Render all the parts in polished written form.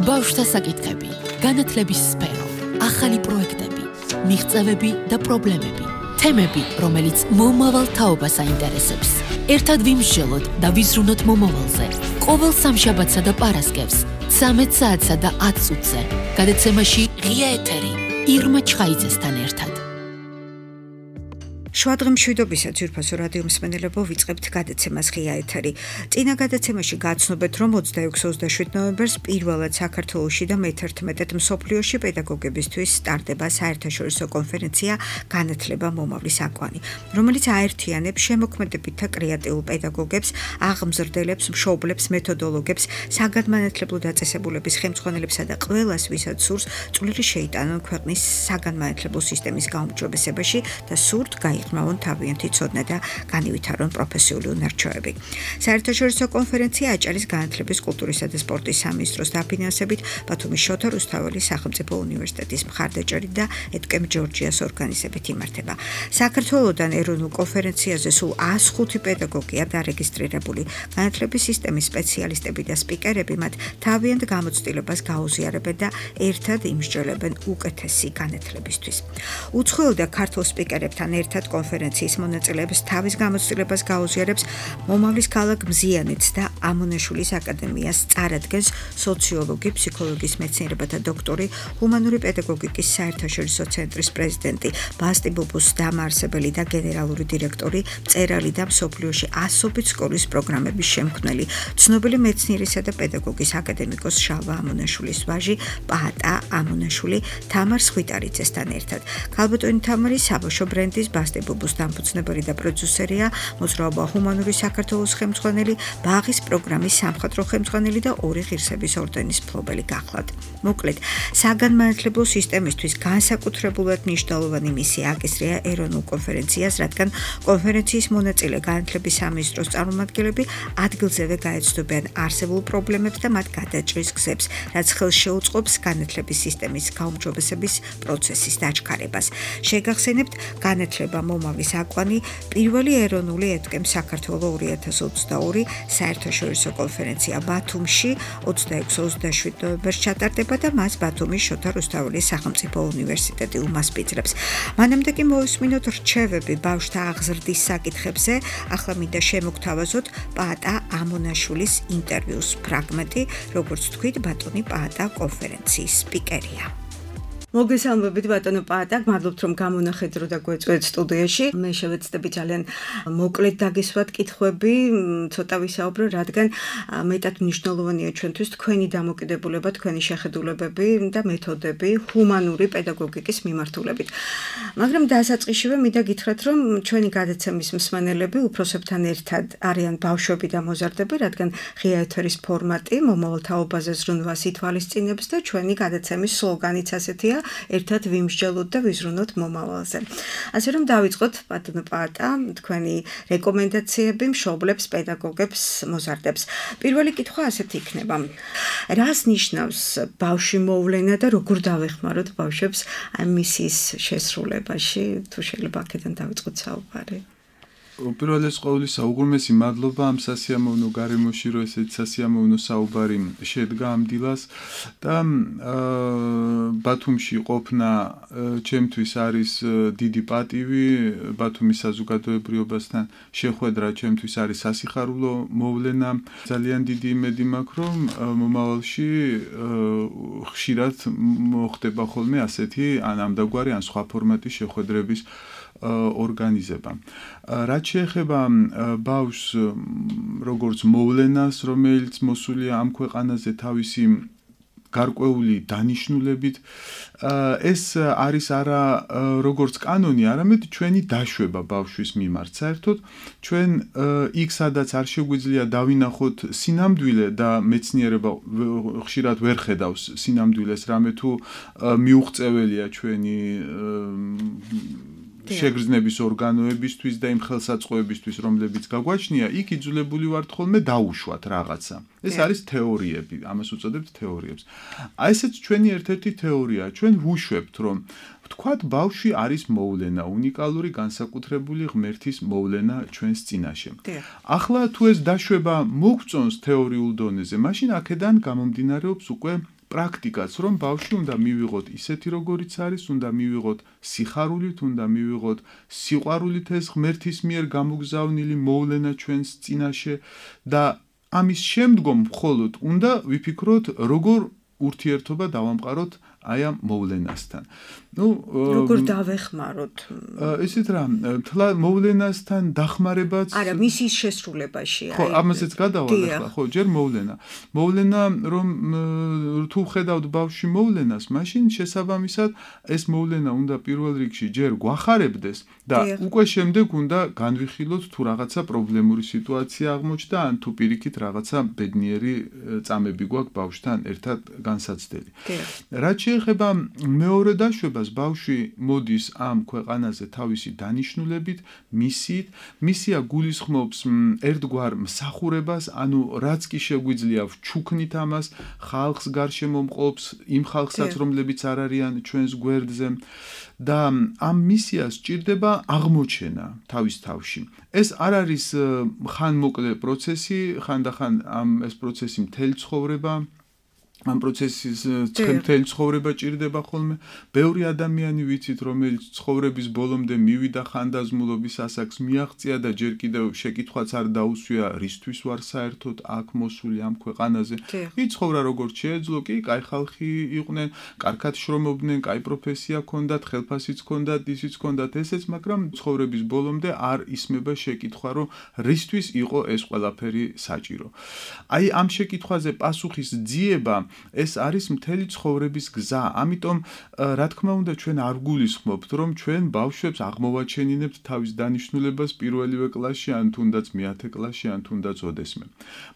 ბავშვთა საკითხები, განათლების სფერო, ახალი პროექტები, მიღწევები და პრობლემები, თემები, რომელიც მომავალ თაობას აინტერესებს. ერთად ვიმსჯელოთ და ვიზრუნოთ მომავალზე. ყოველ სამშაბათსა და პარასკევს, 13 საათსა და 10 წუთზე. გადაცემაში ღია ეთერი, ირმა ჩხაიძესთან ერთად. შვადღი მშვიდობისა ძვირფასო რადიო მსმენელებო, ვიწყებთ გადაცემას ღია ეთერი. წინა გადაცემაში გაცნობეთ, რომ 26-27 ნოემბერს პირველად საქართველოში და მე-11 მსოფლიოში პედაგოგებისთვის სტარტდება საერთაშორისო კონფერენცია განათლება მომავლის აკვანი, რომელიც აერთიანებს შემოქმედებით და კრეატიულ პედაგოგებს, აღმზრდელებს, მშობლებს, მეთოდოლოგებს, საგანმანათლებლო დაწესებულების ხელმძღვანელებსა და ყველას, ვისაც სურს წვლილი შეიტანონ ქვეყნის საგანმანათლებლო სისტემის გაუმჯობესებაში და სურთ ხმავენ თავიანთი ცოდნა და განივითარონ პროფესიული უნარჩვევები. საერთაშორისო კონფერენცია აჭარის განათლების, კულტურისა და სპორტის სამინისტროს დაფინანსებით ბათუმის შოთა რუსთაველის სახელმწიფო უნივერსიტეტის მხარდაჭერით და ეთკემ ჯორჯიას ორგანიზებით იმართება. საქართველოდან ეროვნულ კონფერენციაზე სულ 105 პედაგოგია დარეგისტრირებული. განათლების სისტემის სპეციალისტები და სპიკერები მათ თავიანთ გამოცდილებას გაუზიარებენ და ერთად იმსჯელებენ უკეთესი განათლებისთვის. უცხოელ და ქართულ სპიკერებთან ერთად კონფერენციის მონაწილეებს თავის გამოცდილებას გაუზიარებს მომავლის ქალაქ მზიანეთს და ამონაშვილის აკადემიას წარადგენს სოციოლოგი, ფსიქოლოგიის მეცნიერებათა დოქტორი, ჰუმანური პედაგოგიკის საერთაშორისო ცენტრის პრეზიდენტი, ბასტი ბუბუს დამაარსებელი და გენერალური დირექტორი, მწერალი და მსოფლიოში ასობით სკოლის პროგრამების შემქმნელი, ცნობილი მეცნიერისა და პედაგოგის აკადემიკოს შალვა ამონაშვილის ვაჟი, პაატა ამონაშვილი, თამარ სხვიტარიძესთან ერთად. ქალბატონი თამარი საბავშვო ბრენდის ბასტი ბუბუს დამფუძნებელი და პროდიუსერია, მოძრაობა ჰუმანური საქართველოს ხელმძღვანელი, ბაღის პროგრამის სამხატვრო ხელმძღვანელი და 2 ღირსების ორდენის მფლობელი გახლავთ. მოკლედ, საგანმანათლებლო სისტემისთვის განსაკუთრებულად მნიშვნელოვანი მისია აკისრია ეროვნულ კონფერენციას, რადგან კონფერენციის მონაწილე განათლების სამინისტროს წარმომადგენლები ადგილზევე გაეცნობიან არსებულ პრობლემებს და მათ გადაჭრის გზებს, რაც ხელს შეუწყობს განათლების სისტემის გაუმჯობესების პროცესის დაჩქარებას. შეგახსენებთ, განათლება მომავლის აკვანი პირველი ეროვნული ეთკემ საქართველოს 2022 საერთაშორისო კონფერენცია ბათუმში 26-27 ნოემბერს ჩატარდება და მას ბათუმის შოთა რუსთაველის სახელმწიფო უნივერსიტეტი უმასპინძლებს. მანამდე კი მოვისმინოთ რჩევები ბავშვთა აღზრდის საკითხებზე. ახლა მინდა შემოგთავაზოთ პაატა ამონაშვილის ინტერვიუს ფრაგმენტი, როგორც თქვით, ბატონი პაატა კონფერენციის სპიკერია. მოგესალმებით ბატონო პაატა, მადლობთ რომ გამონახეთ დრო და გვეწვევთ სტუდიაში. მე შევეცდები ძალიან მოკლედ დაგესვათ კითხვები, ცოტა ვისაუბრო, რადგან მეტად მნიშვნელოვანია ჩვენთვის თქვენი დამოკიდებულება, თქვენი შეხედულებები და მეთოდები ჰუმანური პედაგოგიკის მიმართულებით. მაგრამ დასაწყისშივე მინდა გითხრათ, რომ ჩვენი გადაცემის მსმენელები უფროსებთან ერთად არიან ბავშვები და მოზარდები, რადგან ღია ეთერის ფორმატი მომავალ თაობაზე ზრუნვას ითვალისწინებს და ჩვენი გადაცემის სლოგანიც ასეთია, ერთად ვიმსჯელოთ და ვიზრუნოთ მომავალზე. ასე რომ დავიწყოთ ბატონო პაატა, თქვენი რეკომენდაციები მშობლებს, პედაგოგებს, მოზარდებს. პირველი კითხვა ასეთი იქნება. რას ნიშნავს ბავშვი მოვლენა და როგორ დავეხმაროთ ბავშვებს მისის შესრულებაში? თუ შეიძლება აქედან დავიწყოთ საუბარი. უპირველეს ყოვლისა, უღრმესი მადლობა ამ სასიამოვნო გარემოში, რომ ესეთი სასიამოვნო საუბარი შედგა ამ დილას და ბათუმში ყოფნა ჩემთვის არის დიდი პატივი, ბათუმის საზოგადოებრიობასთან შეხვედრა ჩემთვის არის სასიხარულო მოვლენა. ძალიან დიდი იმედი მაქვს, რომ მომავალში ხშირად მოხდება ხოლმე ასეთი ან ამდაგვარი ან სხვა ფორმატის შეხვედრების ორგანიზება. რაც შეეხება ბავშვს როგორც მოვლენას, რომელიც მოსულია ამ ქვეყანაზე თავისი გარკვეული დანიშნულებით, ეს არის არა როგორც კანონი, არამედ ჩვენი დაშვება ბავშვის მიმართ. საერთოდ ჩვენ იქ სადაც არ შეგვიძლია დავინახოთ სინამდვილე და მეცნიერება ხშირად ვერ ხედავს სინამდვილეს, რამე თუ მიუღწეველია ჩვენი შეგრძნების ორგანოებისთვის და იმ ხელსაწყოებისთვის, რომლებიც გაგვაჩნია, იქ იძულებული ვართ ხოლმე დაუშვათ რაღაცა. ეს არის თეორიები, ამას უწოდებთ თეორიებს. აი ესეც ჩვენი ერთ-ერთი თეორია. ჩვენ ვუშვებთ, რომ ვთქვათ, ბავშვი არის მოვლენა, უნიკალური განსაკუთრებული ღმერთის მოვლენა ჩვენს წინაშე. ახლა თუ ეს დაშვება მოგწონს თეორიულ დონეზე, მაშინ აქედან გამომდინარეობს უკვე პრაქტიკაც, რომ ბავშვი უნდა მივიღოთ ისეთი როგორიც არის, უნდა მივიღოთ სიხარულით, უნდა მივიღოთ სიყვარულით ეს ღმერთის მიერ გამოგზავნილი მოვლენა ჩვენს წინაშე და ამის შემდგომ მხოლოდ უნდა ვიფიქროთ, როგორ ურთიერთობა დავამყაროთ აი ამ მოვლენასთან. როგორ დავეხმაროთ? ისეთ რა, თლა მოვლენასთან დახმარებაც არა, მისის შესრულებაში. ხო, ამასაც გადავალ ახლა, ხო, ჯერ მოვლენა. მოვლენა, რომ თუ ხედავთ ბავშვი მოვლენას, მაშინ შესაბამისად ეს მოვლენა უნდა პირველ რიგში ჯერ გვახარებდეს და უკვე შემდეგ უნდა განვიხილოთ თუ რაღაცა პრობლემური სიტუაცია აღმოჩნდა, ან თუ პირიქით რაღაცა ბედნიერი წამები გვაქვს ბავშვთან ერთად განსაცდელი. რაც შეეხება მეორე დაშვებას, ბავშვი მოდის ამ ქვეყანაზე თავისი დანიშნულებით, მისიით, მისია გულისხმობს ერთგვარ მსახურებას, ანუ რაც კი შეგვიძლია ვჩუქნით ამას, ხალხს გარშემო მყოფს, იმ ხალხსაც, რომლებიც არ არიან ჩვენს გვერდზე და ამ მისიას სჭირდება აღმოჩენა თავის თავში. ეს არ არის ხანმოკლე პროცესი, ხანდახან ეს პროცესი მთელი ცხოვრება ამ პროცესის მთელი ცხოვრება ჭირდება ხოლმე. ბევრი ადამიანი ვიცით, რომელიც ცხოვრების ბოლომდე მივიდა ხანდაზმულობის ასაკს, მიაღწია და ჯერ კიდევ შეკითხვაც არ დაუსვია, რისთვის ვარ საერთოდ აქ მოსული ამ ქვეყანაზე. იცხოვრა როგორც შეეძლო, კი, კაი ხალხი იყვნენ, კარგად შრომობდნენ, კაი პროფესია ჰქონდათ, ხელფასიც ჰქონდათ, ისიც ჰქონდათ ესეც, მაგრამ ცხოვრების ბოლომდე არ ისმება შეკითხვა, რომ რისთვის იყო ეს ყველაფერი საჭირო. აი ამ შეკითხვაზე პასუხის ძიება ეს არის მთელი ცხოვრების გზა. ამიტომ რა თქმა უნდა ჩვენ არ გულისხმობთ, რომ ჩვენ ბავშვებს აღმოვაჩენინებთ თავის დანიშნულებას პირველივე კლასში, ან თუნდაც მე-10 კლასში, ან თუნდაც ოდესმე.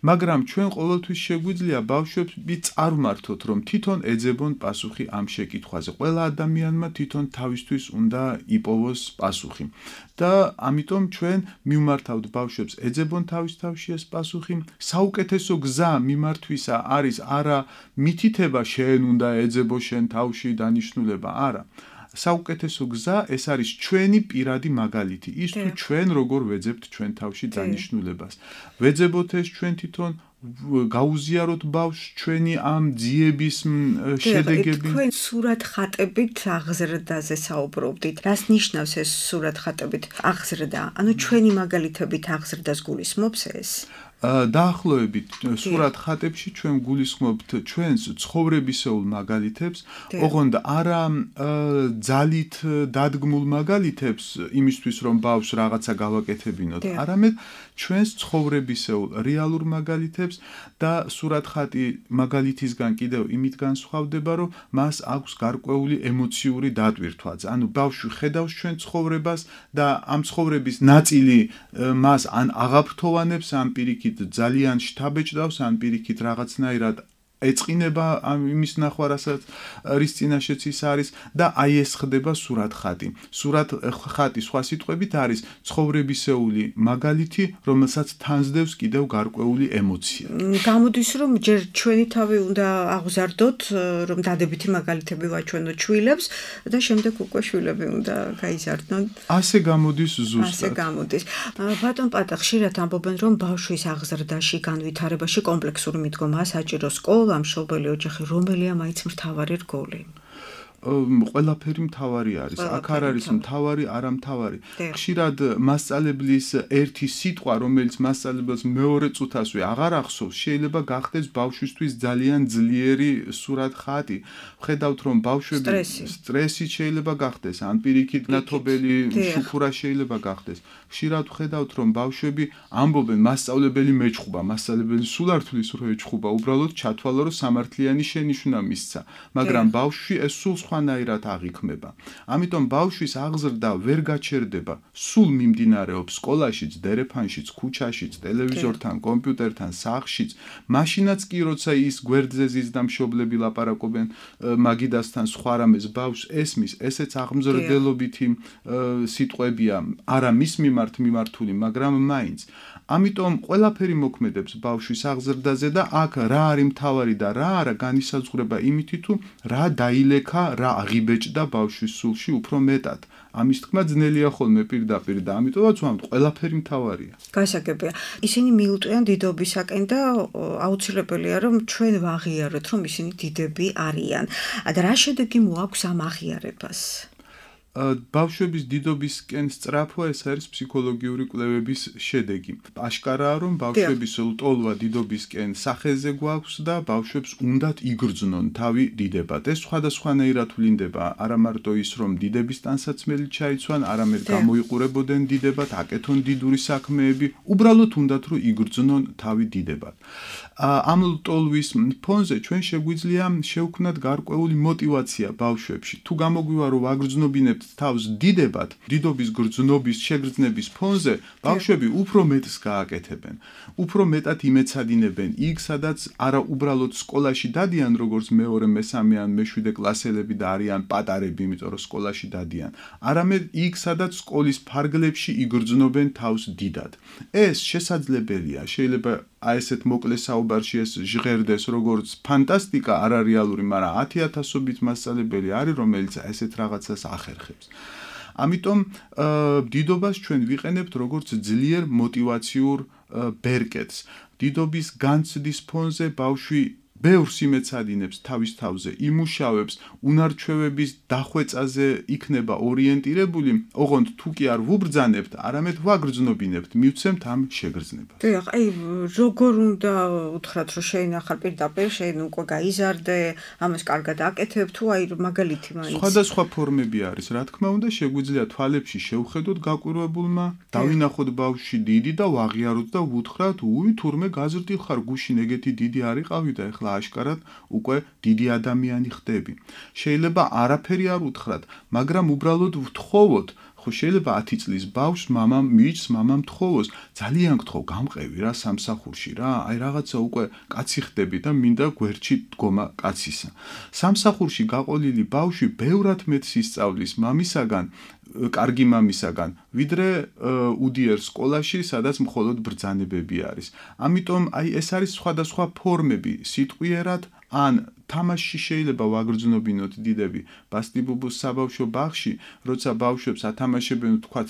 მაგრამ ჩვენ ყოველთვის შეგვიძლია ბავშვები წარმართოთ, რომ თვითონ ეძებონ პასუხი ამ შეკითხვაზე. ყველა ადამიანმა თვითონ თავისთვის უნდა იპოვოს პასუხი. და ამიტომ ჩვენ მივმართავთ ბავშვებს ეძებონ თავის თავში ეს პასუხი. საუკეთესო გზა მიმართვისა არის არა მითითება შენ უნდა ეძებო შენ თავში დანიშნულება, არა. საუკეთესო გზა ეს არის ჩვენი პირადი მაგალითი. ის თუ ჩვენ როგორ ვეძებთ ჩვენ თავში დანიშნულებას. ვეძებოთ ეს ჩვენ თვითონ, გაუზიაროთ ბავშვს ჩვენი ამ ძიების შედეგები. თქვენ სურათხატებით აღზრდაზე საუბრობდით. რას ნიშნავს ეს სურათხატებით აღზრდა? ანუ ჩვენი მაგალითებით აღზრდას გულისხმობს ეს? დაახლოებით სურათხატებში ჩვენ გულისხმობთ ჩვენს ცხოვრებისეულ მაგალითებს, ოღონდ არა ძალით დადგმულ მაგალითებს იმისთვის, რომ ბავშვს რაღაცა გავაკეთებინოთ, არამედ ჩვენს ცხოვრებისეულ რეალურ მაგალითებს და სურათხატი მაგალითისგან კიდევ იმით განსხვავდება, რომ მას აქვს გარკვეული ემოციური დატვირთვაც. ანუ ბავშვი ხედავს ჩვენ ცხოვრებას და ამ ცხოვრების ნაწილი მას ან აღაფრთოვანებს, ან პირიქით ძალიან შთაბეჭდავს, ან პირიქით რაღაცნაირად ეწყინება იმის ნახვა, რის წინაშეც ის არის და აი ეს ხდება სურათხატი. სურათხატი სხვა სიტყვებით არის ცხოვრებისეული მაგალითი, რომელსაც თანსდევს კიდევ გარკვეული ემოცია. გამოდის, რომ ჯერ ჩვენი თავი უნდა აღზარდოთ, რომ დადებითი მაგალითები ვაჩვენოთ შვილებს და შემდეგ უკვე შვილები უნდა გაიზარდნონ. ასე გამოდის ზუსტად. ასე გამოდის. ბატონ პატა, ხშირად ამბობენ, რომ ბავშვის აღზრდაში, განვითარებაში კომპლექსური მიდგომაა საჭირო სკოლა, მშობელი ოჯახი, რომელია მაინც მთავარი რგოლი? ყველაფერი მთავარი არის. აქ არ არის მთავარი, არა მთავარი. ხშირად მასწავლებლის ერთი სიტყვა, რომელიც მასწავლებელს მეორე წუთასვე აღარ ახსოვს, შეიძლება გახდეს ბავშვისთვის ძალიან ძლიერი სურათხატი. ხედავთ, რომ ბავშვები სტრესი შეიძლება გახდეს, ან პირიქით ნათობელი შუქურა შეიძლება გახდეს. ხშირად ხედავთ, რომ ბავშვები ამბობენ, მასწავლებელი მეჩხუბა, მასწავლებელი სულ არ თulis რომ ეჩხუბა, უბრალოდ ჩათვალა, რომ სამართლიანი შენიშვნა მისცა, მაგრამ ბავშვი ეს სულ სხვანაირად აღიქმება. ამიტომ ბავშვის აღზრდა ვერ გაჩერდება, სულ მიმდინარეობს სკოლაშიც, დერეფანშიც, ქუჩაშიც, ტელევიზორთან, კომპიუტერთან, სახლშიც, მაშინაც კი როცა ის გვერდზე ზის და მშობლები ლაპარაკობენ მაგიდასთან სხვა რამეს, ბავშვს ესმის, ესეც აღმზრდელობითი სიტყვებია, არა მის მიმართ მიმართული, მაგრამ მაინც. ამიტომ ყველაფერი მოქმედებს ბავშვის აღზრდაზე და აქ რა არის მთავარი და რა არა განისაზღვრება იმითი თუ რა დაილექა, რა აღიბეჭდა ბავშვის სულში უფრო მეტად. ამის თქმა ძნელია ხოლმე პირდაპირ და ამიტომაც ვამბობ, ყველაფერი მთავარია. გასაგებია. ისინი მიუტყვიან დიდობისაკენ და აუცილებელია რომ ჩვენ ვაღიაროთ რომ ისინი დიდები არიან. და რა შედეგი მოაქვს ამ აღიარებას? ბავშვების დიდობისკენ სწრაფვა ეს არის ფსიქოლოგიური კვლევების შედეგი. აშკარაა რომ ბავშვების ლტოლვა დიდობისკენ სახეზე გვაქვს და ბავშვებს უნდათ იგრძნონ თავი დიდებად. ეს სხვადასხვანაირად ვლინდება, არა მარტო ის რომ დიდების ტანსაცმელი ჩაიცვან, არამედ გამოიყურებოდნენ დიდებად, აკეთონ დიდური საქმეები, უბრალოდ უნდათ რომ იგრძნონ თავი დიდებად. ამ ლტოლვის ფონზე ჩვენ შეგვიძლია შევქმნათ გარკვეული мотиваცია ბავშვებში. თუ გამოგვივა რომ ვაგრძნობინებთ თავს დიდებად, დიდობის გრძნობის შეგრძნების ფონზე, ბავშვები უფრო მეტს გააკეთებენ, უფრო მეტად იმეცადინებენ იქ, სადაც არა უბრალოდ სკოლაში დადიან, როგორც მეორე, მესამე ან მეშვიდე კლასელები და არიან პატარები, იმიტომ რომ სკოლაში დადიან, არამედ იქ, სადაც სკოლის ფარგლებში იგრძნობენ თავს დიდად. ეს შესაძლებელია, შეიძლება აი ესეთ მოკლე საუბარში ეს ჟღერდეს როგორც ფანტასტიკა, არარეალური, მაგრამ 10,000-ობით მასწავლებელი არის, რომელიც ესეთ რაღაცას ახერხებს. ამიტომ დიდობას ჩვენ ვიყენებთ როგორც ძლიერ мотиваციურ ბერკეტს. დიდობის განცდის ფონზე ბავშვი ბევრს იმეცადინებს თავის თავზე, იმუშავებს, უნარჩვევების დახვეწაზე იქნება ორიენტირებული, ოღონდ თუ კი არ ვუბრძანებთ, არამედ ვაგრძნობინებთ, მივცემთ ამ შეგრძნებას. დიახ, აი როგორ უნდა უთხრათ, რომ შეინახარ პირდაპირ, შენ უკვე გაიზარდე, ამას კარგად აკეთებ, თუ აი მაგალითი მაინც. სხვადასხვა ფორმები არის, რა თქმა უნდა, შეგვიძლია თვალებში შევხედოთ გაკვირვებულმა, დავინახოთ ბავშვი დიდი და ვაღიაროთ და ვუთხრათ, უი, თურმე გაზრდილ ხარ, გუშინ ეგეთი დიდი არ იყავი და ეხლა აშკარად უკვე დიდი ადამიანი ხდები. შეიძლება არაფერი არ უთხრათ, მაგრამ უბრალოდ ვთხოვოთ, ხო შეიძლება 10 წლის ბავშვს მამამ მიიჭს, მამამ თხოვოს, ძალიან გთხოვ, გამყევი რა სამსახურში რა, აი რაღაცა უკვე კაცი ხდები და მინდა გვერდში დგომა კაცისა. სამსახურში გაყოლილი ბავშვი ბევრად მეტს ისწავლის მამისაგან, კარგი მამისაგან, ვიდრე უდიერ სკოლაში, სადაც მხოლოდ ბრძანებები არის. ამიტომ აი ეს არის სხვადასხვა ფორმები, სიტყვიერად ან თამაშში შეიძლება ვაგრძნობინოთ დიდები. ბასტიბუბუს საბავშვო ბაღში, როცა ბავშვებს ათამაშებენ თქვათ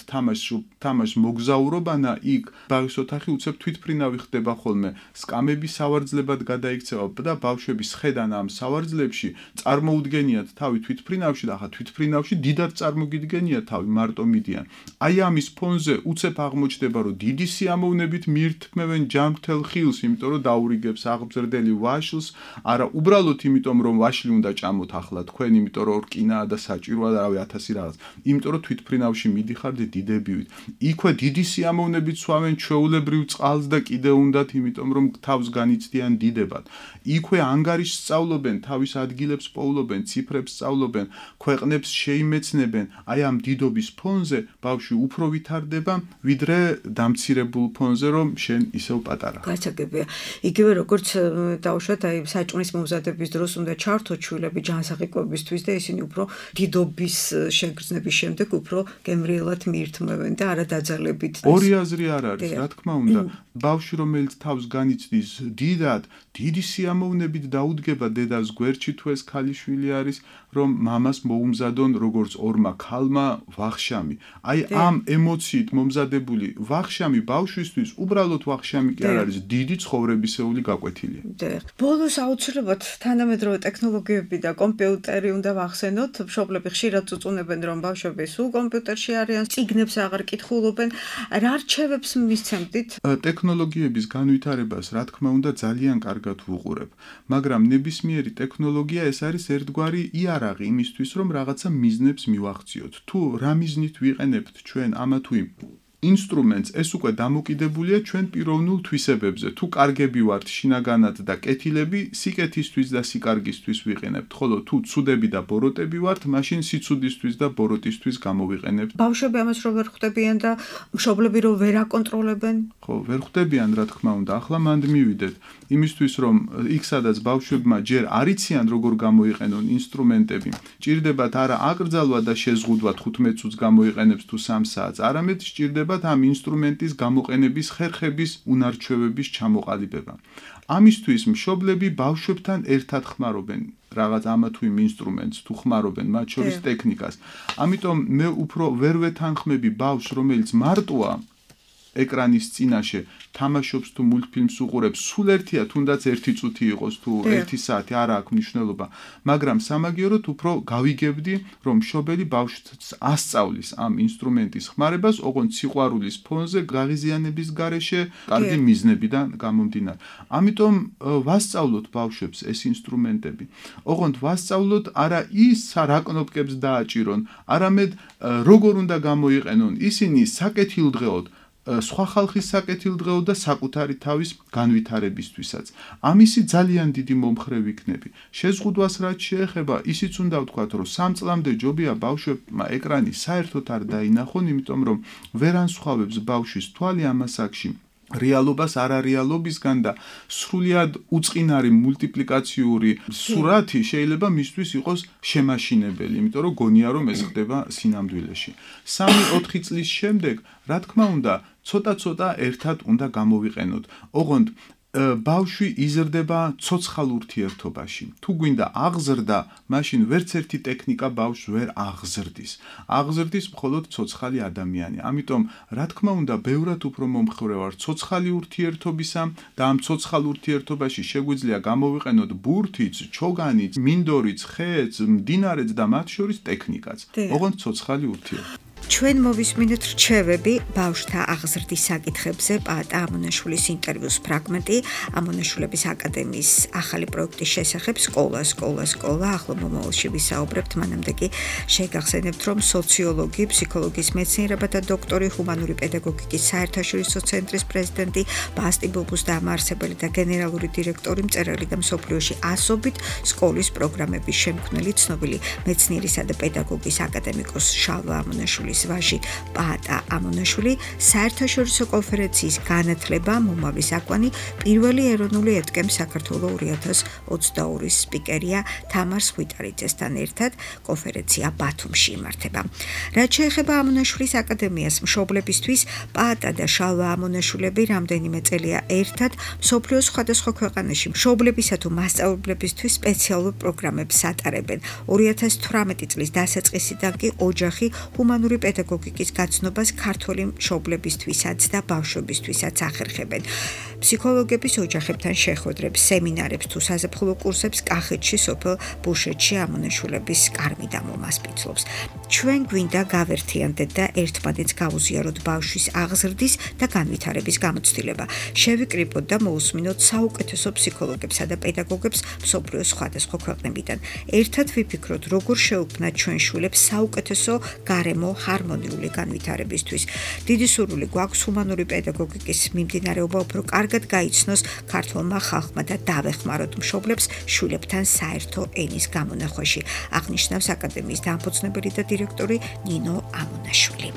თამაშს მოგზაურობანა, იქ ბაღის ოთახი უცებ თვითფრინავი ხდება ხოლმე. სკამები სავარძლებად გადაიქცევა და ბავშვები სხედან ამ სავარძლებში, წარმოუდგენიათ თავი თვითფრინავში და ახლა თვითფრინავში დიდად წარმოგიდგენიათ თავი, მარტო მიდიან. აი ამის ფონზე უცებ აღმოჩნდება, რომ დიდი სიამოვნებით მიირთმევენ ჯანმრთელ ხილს, იმიტომ რომ დაურიგებს აღბზრდელი ვაშლს, არა უბრალოდ იმიტომ რომ ვაშლი უნდა ჭამოთ ახლა თქვენ, იმიტომ რომ რკინაა და საჭიროა და რავი 1000 რაღაც. იმიტომ რომ თვითფრინავში მიდიხართ დიდებივით. იქვე დიდი სიამოვნებით სვამენ ჩვეულებრივ წყალს და კიდე უნდათ, იმიტომ რომ თავს განიცდიან დიდებად. იქვე ანგარიშს სწავლობენ, თავის ადგილებს პოულობენ, ციფრებს სწავლობენ, ქვეყნებს შეიმეცნებენ. აი ამ დიდობის ფონზე ბავშვი უფრო ვითარდება, ვიდრე დამცირებულ ფონზე, რომ შენ ისევ პატარა. გასაგებია. იგივე როგორც დავუშვათ, აი საჭმლის მომზადების დროს უნდა ჩართოთ შვილები ჯანსაღი-კვებისთვის და ისინი უფრო დიდობის შეგრძნების შემდეგ უფრო გემრიელად მიირთმევენ და არა დაძალებით. ორი აზრი არ არის, რა თქმა უნდა. ბავშვი, რომელიც თავს განიცდის დიდად, დიდი სიამოვნებით დაუდგება დედას გვერდში, თუ ეს ქალიშვილი არის, რომ მამას მოუმზადონ როგორც ორმა ქალმა ვახშამი. აი ამ ემოციით მომზადებული ვახშამი ბავშვისთვის უბრალოდ ვახშამი კი არ არის, დიდი ცხოვრებისეული გაკვეთილია. ბოლოს აუცილებლად თანამედროვე ტექნოლოგიები და კომპიუტერი უნდა ვახსენოთ. მშობლები ხშირად წუწუნებენ, რომ ბავშვები სულ კომპიუტერში არიან, წიგნებს აღარ კითხულობენ. რა რჩევებს მისცემდით? ტექნოლოგიების განვითარებას, რა თქმა უნდა, ძალიან კარგად ვუყურებ, მაგრამ ნებისმიერი ტექნოლოგია ეს არის ერთგვარი იარაღი იმისთვის, რომ რაღაცა მიზნებს მივახციოთ. თუ რა მიზნით ვიყენებთ ჩვენ ამა თუ იმ ინსტრუმენტს, ეს უკვე დამოკიდებულია ჩვენ პიროვნულ თვისებებზე. თუ კარგები ვართ შინაგანად და კეთილები, სიკეთისთვის და სიკარგისთვის ვიყენებთ, ხოლო თუ ცუდები და ბოროტები ვართ, მაშინ სიცუდისთვის და ბოროტისთვის გამოვიყენებთ. ბავშვები ამას რო ვერ ხვდებიან და მშობლები რო ვერ აკონტროლებენ? ხო, ვერ ხვდებიან, რა თქმა უნდა. ახლა მანდ მივიდეთ იმისთვის, რომ იქ სადაც ბავშვებმა ჯერ არ იციან როგორ გამოიყენონ ინსტრუმენტები, ჭირდებათ არა აკრძალვა და შეზღუდვა 15 წუთს გამოიყენებს თუ 3 საათს, არამედ ჭირდება ეხმარებათ ამ ინსტრუმენტის გამოყენების ხერხების უნარჩვევების ჩამოყალიბება. ამისთვის მშობლები ბავშვებთან ერთად ხმარობენ რაღაც ამა თუ იმ ინსტრუმენტს თუ ხმარობენ მათ შორის ტექნიკას. ამიტომ მე უფრო ვერ ვეთანხმები ბავშვს, რომელიც მარტოა ეკრანის წინაშე თამაშობს თუ მულტფილმს უყურებს, სულ ერთია თუნდაც 1 წუთი იყოს თუ 1 საათი, არ აქვს მნიშვნელობა, მაგრამ სამაგიეროდ უფრო გავიგებდი, რომ მშობელი ბავშვს ასწავლის ამ ინსტრუმენტის ხმარებას, ოღონდ სიყვარულის ფონზე, გაღიზიანების გარეშე, კარგი მიზნებიდან გამომდინარე. ამიტომ ვასწავლოთ ბავშვებს ეს ინსტრუმენტები. ოღონდ ვასწავლოთ არა ის რა კნოპკებს დააჭირონ, არამედ როგორ უნდა გამოიყენონ ისინი საკეთილდღეოდ სხვა ხალხის საკეთილდღეოდ და საკუთარი თავის განვითარებისთვისაც. ამისი ძალიან დიდი მომხრე ვიქნები. შეზღუდვას რაც შეეხება, ისიც უნდა ვთქვათ, რომ 3 წლამდე ჯობია ბავშვებმა ეკრანი საერთოდ არ დაინახონ, იმიტომ რომ ვერ ანსხვავებს ბავშვის თვალი ამ ასაკში რეალობას არარეალობისგან და სრულიად უწყინარი მულტიპლიკაციური სურათი შეიძლება მისთვის იყოს შემაშინებელი, იმიტომ რომ გონია რომ ეს ხდება სინამდვილეში. 3-4 წლის შემდეგ, რა თქმა უნდა, ცოტა-ცოტა ერთად უნდა გამოვიყენოთ. ოღონდ ბავშვი იზრდება ცოცხალ ურთიერთობაში. თუ გვინდა აღზრდა, მაშინ ვერც ერთი ტექნიკა ბავშვს ვერ აღზრდის. აღზრდის მხოლოდ ცოცხალი ადამიანი. ამიტომ, რა თქმა უნდა, ბევრად უფრო მომხრე ვარ ცოცხალი ურთიერთობისა და ამ ცოცხალ ურთიერთობაში შეგვიძლია გამოვიყენოთ ბურთიც, ჩოგანიც, მინდორიც, ხეც, მდინარეც და მათ შორის ტექნიკაც. ოღონდ ცოცხალი ურთიერთობა. ჩვენ მოვისმინეთ რჩევები ბავშვთა აღზრდის საკითხებზე პაატა ამონაშვილის ინტერვიუს ფრაგმენტი ამონაშვილების აკადემიის ახალი პროექტის შესახებ სკოლა ახლა მომავალში ვისაუბრებთ, მანამდე კი შეგახსენებთ, რომ სოციოლოგი, ფსიქოლოგიის მეცნიერებათა დოქტორი, ჰუმანური პედაგოგიკის საერთაშორისო ცენტრის პრეზიდენტი, ბასტი ბუბუს დამაარსებელი და გენერალური დირექტორი, მწერალი და მსოფლიოში ასობით სკოლის პროგრამების შემქმნელი, ცნობილი მეცნიერისა და პედაგოგის აკადემიკოს შალვა ამონაშვილის ვაჟი პაატა ამონაშვილი საერთაშორისო კონფერენციის განათლება მომავლის აკვანი პირველი ეროვნული ეთკემ საქართველოს 2022 სპიკერია თამარ სხვითარიძესთან ერთად კონფერენცია ბათუმში იმართება. რაც შეეხება ამონაშვილის აკადემიას, მშობლებისთვის პაატა და შალვა ამონაშვილები რამდენიმე წელია ერთად მსოფლიოს სხვადასხვა ქვეყანაში მშობლებისა თუ მასწავლებლებისთვის სპეციალურ პროგრამებს ატარებენ. 2018 წლის დასაწყისიდან კი ოჯახი ჰუმანური პედაგოგიკის გაცნობას ქართველი მშობლებისთვისაც და ბავშვებისთვისაც ახერხებენ. ფსიქოლოგების ოჯახებთან შეხვედრებს, სემინარებს თუ საზაფხულო კურსებს კახეთში, სოფელ ბუშეთში ამონაშვილების კარმიდა მომასპინძლობს. ჩვენ გვინდა გავერთიანდეთ და ერთმანეთს გავუზიაროთ ბავშვის აღზრდის და განვითარების გამოცდილება. შევიკრიბოთ და მოусმინოთ საუკეთესო ფსიქოლოგებსა და პედაგოგებს მსოფლიოს სხვადასხვა ქვეყნებიდან. ერთად ვიფიქროთ, როგორ შევქმნათ ჩვენ შვილებს საუკეთესო გარემო ჰარმონიული განვითარებისთვის. დიდი სურვილი გვაქვს ჰუმანური პედაგოგიკის მიმდინარეობა უფრო კარგად გაიცნოს ქართველმა ხალხმა და დავეხმაროთ მშობლებს შვილებთან საერთო ენის გამონახვაში, აღნიშნავს აკადემიის დამფუძნებელი და დირექტორი ნინო ამონაშვილი.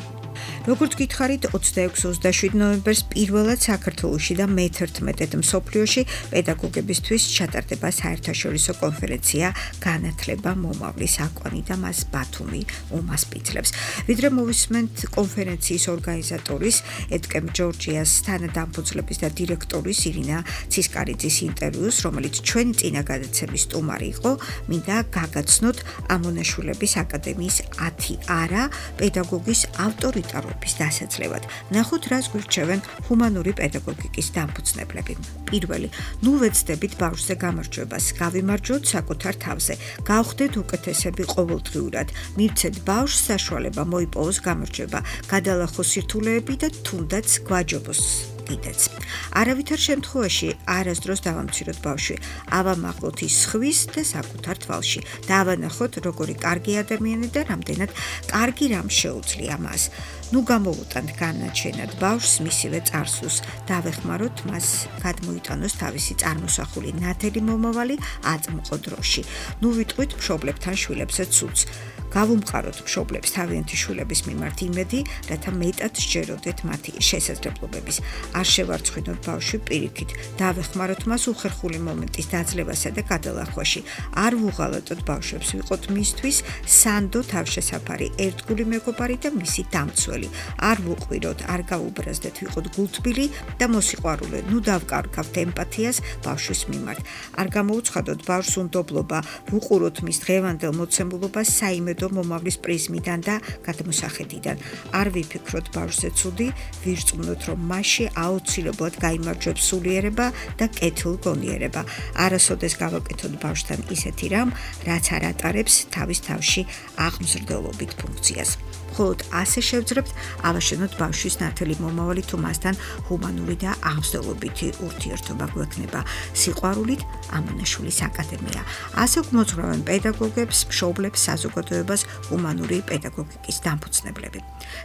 როგორც გითხარით, 26-27 ნოემბერს პირველად საქართველოში და მე-11 მსოფლიოში პედაგოგებისთვის ჩატარდება საერთაშორისო კონფერენცია განათლება მომავლის აკვანი და მას ბათუმი უმასპინძლებს. ვიდრე მოვისმენთ კონფერენციის ორგანიზატორის ეთკემ ჯორჯიას თანადამფუძნების და დირექტორის ირინა ცისკარიძის ინტერვიუს, რომელიც ჩვენი წინა გადაცემის სტუმარი იყო, მინდა გაგაცნოთ ამონაშვილების აკადემიის 10 არა პედაგოგის ავტორიტარობის დასაძლევად. ნახოთ, რას გვირჩევენ ჰუმანური პედაგოგიკის დამფუძნებლები. პირველი, ნუ ვეცდებით ბავშვზე გამარჯვებას, გავიმარჯვოთ საკუთარ თავზე, გავხდეთ უკეთესები ყოველდღიურად, მივცეთ ბავშვს საშუალება მოიპოვოს გამარჯვება, გადალახოს სირთულეები და თუნდაც გვაჯობოს. არავითარ შემთხვევაში არასდროს დავამციროთ ბავშვი, ავამაღლოთ ის სხვის და საკუთარ თვალში, დავანახოთ როგორი კარგი ადამიანი და რამდენად კარგი რამ შეუძლია მას. ნუ გამოვუტანთ განაჩენად ბავშვს მისივე წარსულს, დავეხმაროთ მას გადმოიტანოს თავისი წარმოსახული ნათელი მომავალი აწმყო დროში. ნუ ვიტყვით მშობლებთან შვილებსაც სულს. გავუმყაროთ მშობლებს თავიანთი შვილების მიმართ იმედი, რათა მეტად სჯეროდეთ მათი შესაძლებლობების. არ შევარცხინოთ ბავშვი პირიქით, დავეხმაროთ მას უხერხული მომენტის დაძლევასა და გადალახვაში. არ ვუღალატოთ ბავშვებს, ვიყოთ მისთვის სანდო თავშესაფარი, ერთგული მეგობარი და მისი დამცველი. არ ვუყვიროთ, არ გაუბრაზდეთ, ვიყოთ გულთბილი და მოსიყვარულე. ნუ დავკარგავთ ემპათიას ბავშვის მიმართ. არ გამოუცხადოთ ბავშვს უნდობლობა, ვუყუროთ მის დღევანდელ მოცემულობას საიმედო მომავლის პრიზმიდან და გადმოსახედიდან. არ ვიფიქროთ ბავშვზე ცუდი, ვირწმუნოთ, რომ მასში აუცილებლად გაიმარჯვებს სულიერება და კეთილგონიერება. არასოდეს გავაკეთოთ ბავშვთან ისეთი რამ, რაც არ ატარებს თავის თავში აღმზრდელობით ფუნქციას. მხოლოდ ასე შევძლებთ ავაშენოთ ბავშვის ნათელი მომავალი, თუ მასთან ჰუმანური და აღმზრდელობითი ურთიერთობა გვექნება. სიყვარულით ამონაშვილის აკადემია. ასე გვმოძღვრავენ პედაგოგებს, მშობლებს, საზოგადოებას ჰუმანური პედაგოგიკის დამფუძნებლები.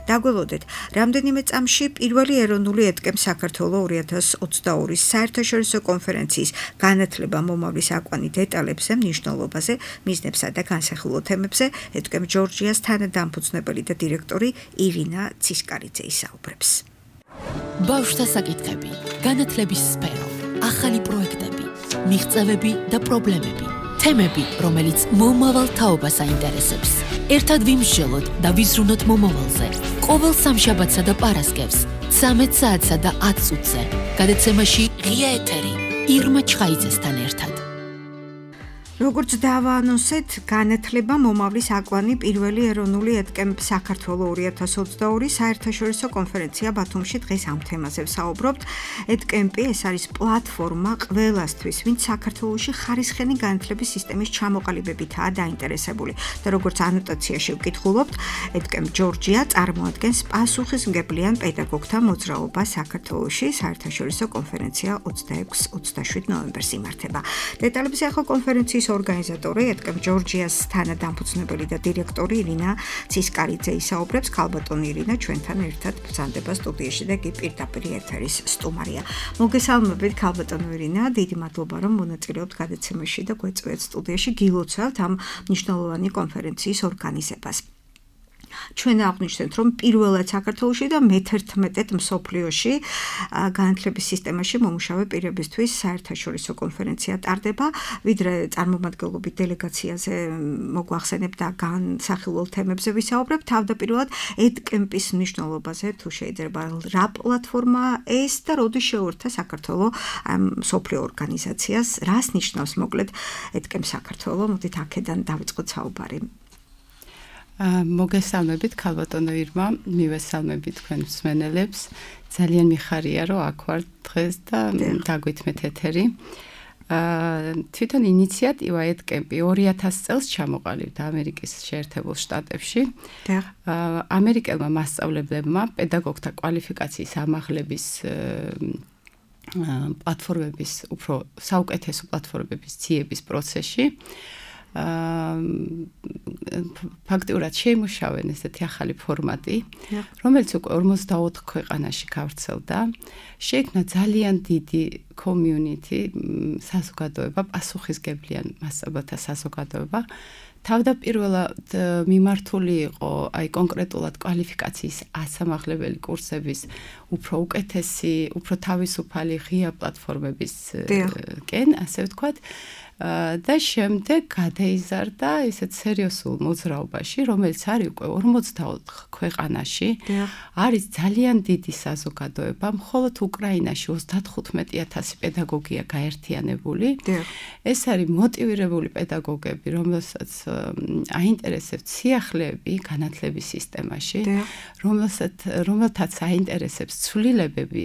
დაგველოდეთ, რამდენიმე წამში პირველი ეროვნული ეთკემ საქართველოს 2022 საერთაშორისო კონფერენციის განათლება მომავლის აკვანი დეტალებზე, მნიშვნელობაზე, მიზნებსა და განსახილულ თემებზე ეთკემ ჯორჯიას თანადამფუძნებელი და დირექტორი ირინა ცისკარიძე ისაუბრებს. ბავშვთა საკითხები, განათლების სფერო, ახალი პროექტები, მიღწევები და პრობლემები, თემები, რომელიც მომავალ თაობას აინტერესებს. ერთად ვიმსჯელოთ და ვიზრუნოთ მომავალზე. ყოველ სამშაბათსა და პარასკევს, 13 საათსა და 10 წუთზე. გადაცემაში ღია ეთერი ირმა ჩხაიძესთან ერთად. როგორც დავაანონსეთ, განათლება მომავლის აკვანი პირველი ეროვნული ეთკემ საქართველოს 2022 საერთაშორისო კონფერენცია ბათუმში დღეს ამ თემაზე ვსაუბრობთ. ეთკემპი ეს არის პლატფორმა ყველასთვის, ვინც საქართველოში ხარისხენი განათლების სისტემის ჩამოყალიბებითაა დაინტერესებული. და როგორც ანოტაციაში ვკითხულობთ, ეთკემ ჯორჯია წარმოადგენს პასუხისმგებლიან პედაგოგთა მოძრაობას საქართველოში. საერთაშორისო კონფერენცია 26-27 ნოემბერს იმართება. დეტალებზე ახლა კონფერენციის ორგანიზატორი ეთკემ ჯორჯიას თანადამფუძნებელი და დირექტორი ირინა ცისკარიძე ისაუბრებს. ქალბატონი ირინა ჩვენთან ერთად ბრძანდება სტუდიაში და კი პირდაპირ ეთერის სტუმარია. მოგესალმებით ქალბატონო ირინა, დიდი მადლობა რომ მონაწილეობთ გადაცემაში და გვეწვიეთ სტუდიაში. გილოცავთ ამ მნიშვნელოვანი კონფერენციის ორგანიზებას. ჩვენ აღვნიშნეთ, რომ პირველად საქართველოში და მე-11 მსოფლიოში განათლების სისტემაში მომუშავე პირებისთვის საერთაშორისო კონფერენცია ტარდება. ვიდრე წარმომადგენლობით დელეგაციაზე მოგვახსენებ და განსახილულ თემებზე ვისაუბრებ, თავდაპირველად ეთკემპის მნიშვნელობაზე, თუ შეიძლება რა პლატფორმა ეს და როდის შეუერთდა საქართველოს მსოფლიო ორგანიზაციას, რას ნიშნავს მოკლედ ეთკემ საქართველოს. მოდით აქედან დავიწყოთ საუბარი. მოგესალმებით ქალბატონო ირმა, მივესალმებით თქვენ მსმენელებს. ძალიან მიხარია რომ აქ ვარ დღეს და დაგვითმეთ ეთერი. თვითონ ინიციატივა ეთკემპი 2000 წელს ჩამოყალიბდა ამერიკის შეერთებულ შტატებში. ამერიკელმა მასწავლებლებმა პედაგოგთა კვალიფიკაციის ამაღლების პლატფორმების, უფრო საუკეთესო პლატფორმების ძიების პროცესში ფაქტიურად შეიმუშავენ ესეთი ახალი ფორმატი, რომელიც უკვე 44 ქვეყანაში გავრცელდა. შეიქმნა ძალიან დიდი community, საზოგადოება, პასუხისმგებლიან მასწავლებელთა საზოგადოება. თავდაპირველად მიმართული იყო აი კონკრეტულად კვალიფიკაციის ასამაღლებელი კურსების უფრო უკეთესი, უფრო თავისუფალი ღია პლატფორმების კენ, ასე ვთქვათ. და შემდეგ გადაიზარდა ისეთ სერიოზულ მოძრაობაში, რომელიც არის უკვე 44 ქვეყანაში. არის ძალიან დიდი საზოგადოება, მხოლოდ უკრაინაში 35,000 პედაგოგია გაერთიანებული. ეს არის მოტივირებული პედაგოგები, რომელსაც აინტერესებს სიახლეები განათლების სისტემაში, რომელთაც აინტერესებს ცვლილებები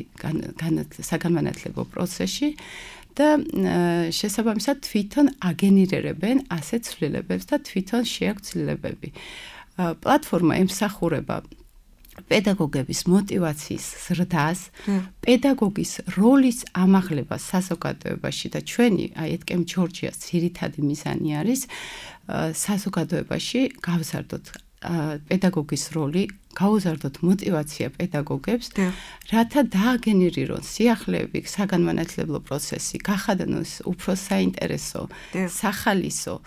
საგანმანათლებლო პროცესში. და შესაბამისად თვითონ აგენერირებენ ასეთ ცვლილებებს და თვითონ შეაქვთ ცვლილებები. პლატფორმა ემსახურება პედაგოგების მოტივაციის ზრდას, პედაგოგის როლის ამაღლებას საზოგადოებაში და ჩვენი ეთკემ ჯორჯიას ძირითადი მიზანი არის საზოგადოებაში გავზარდოთ პედაგოგის როლი, გაუზარდოთ მოტივაცია პედაგოგებს, რათა დააგენერირონ სიახლეები, საგანმანათლებლო პროცესი, გახადნოს უფრო საინტერესო, სახალისო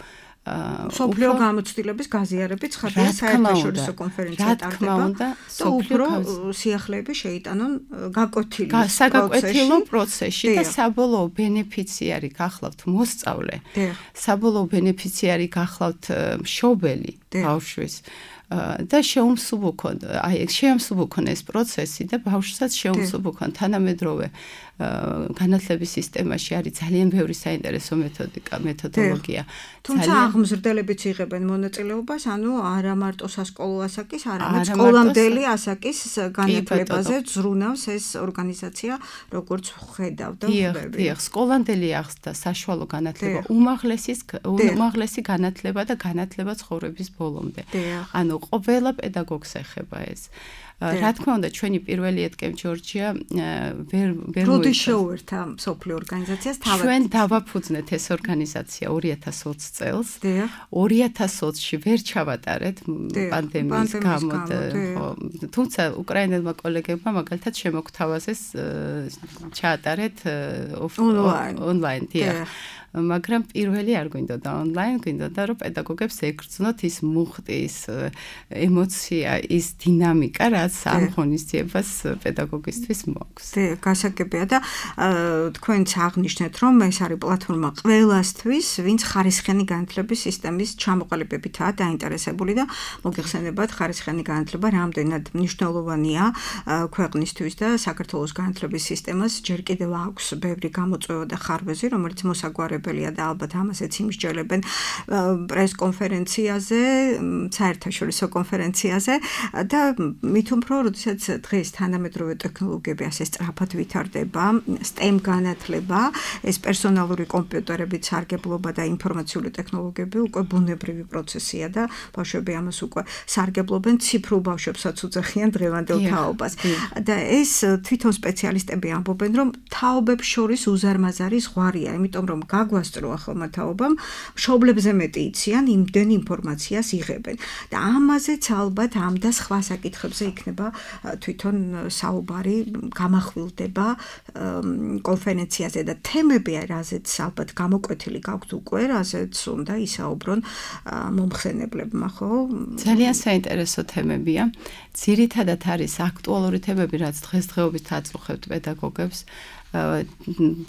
სოფლიო გამოცდილების გაზიარებით ცხადია საერთაშორისო კონფერენცია ტარდება და უფრო სიახლეები შეიტანონ გაკვეთილო პროცესში და საბოლოო ბენეფიციარი გახლავთ მოსწავლე, საბოლოო ბენეფიციარი გახლავთ მშობელი ბავშვის და შეუმსუბუქონ ეს პროცესი და ბავშვსაც შეუმსუბუქონ თანამედროვე განათლების სისტემაში არის ძალიან ბევრი საინტერესო მეთოდოლოგია. თუმცა აღმზრდელებიც იღებენ მონაწილეობას, ანუ არა მარტო სასკოლო ასაკის, არამედ სკოლამდელი ასაკის განათლებაზე ზრუნავს ეს ორგანიზაცია, როგორც ხედავ და ხვდები. დიახ, სკოლამდელი ახსდა საშუალო განათლება, უმაღლესი განათლება და განათლება ცხოვრების ბოლომდე. ანუ ყველა პედაგოგს ეხება ეს. რა თქმა უნდა, ჩვენი პირველი ეთკემ ჯორჯია ვერ როდის შეუერთა სოფლიო ორგანიზაციას თავად. ჩვენ დავაფუძნეთ ეს ორგანიზაცია 2020 წელს. 2020-ში ვერ ჩავატარეთ პანდემიის გამო. თუმცა უკრაინელმა კოლეგებმა მაგალითად შემოგთავაზეს ჩაატარეთ ონლაინ. მაგრამ პირველი არ გვინდოდა ონლაინ, გვინდოდა რომ პედაგოგებს ეგრძნოთ ის მუხტი, ის ემოცია, ის დინამიკა, რაც ამ ღონისძიებას პედაგოგისთვის მოაქვს. გასაგებია და თქვენც აღნიშნეთ, რომ ეს არის პლატფორმა ყველასთვის, ვინც ხარისხიანი განათლების სისტემის ჩამოყალიბებითაა დაინტერესებული და მოგეხსენებათ, ხარისხიანი განათლება რამდენად მნიშვნელოვანია ქვეყნისთვის და საქართველოს განათლების სისტემას ჯერ კიდევ აქვს ბევრი გამოწვევა და ხარვეზი, რომელიც მოსაგვარებელია და ალბათ ამასაც იმსჯელებენ პრეს-კონფერენციაზე, საერთაშორისო კონფერენციაზე და მით უფრო, როდესაც დღეს თანამედროვე ტექნოლოგიები ასე სწრაფად ვითარდება, STEM განათლება, ეს პერსონალური კომპიუტერებით სარგებლობა და ინფორმაციული ტექნოლოგიები უკვე ბუნებრივი პროცესია და ბავშვები ამას უკვე სარგებლობენ, ციფრულ ბავშვებსაც უძახიან დღევანდელ თაობას. და ეს თვითონ სპეციალისტები ამბობენ, რომ თაობებს შორის უზარმაზარი ზღვარია, იმიტომ რომ გაგვასწრო ახალმა თაობამ, მშობლებზე მეტი იციან, იმდენ ინფორმაციას იღებენ. და ამაზეც ალბათ ამ და სხვა საკითხებზე იქნება თვითონ საუბარი, გამახვილდება კონფერენციაზე და თემები, რაზეც ალბათ გამოკვეთილი გაქვთ უკვე, რაზეც უნდა ისაუბრონ მომხსენებლებმა, ხო? ძალიან საინტერესო თემებია. ძირითადად არის აქტუალური თემები, რაც დღესდღეობით აწუხებთ პედაგოგებს.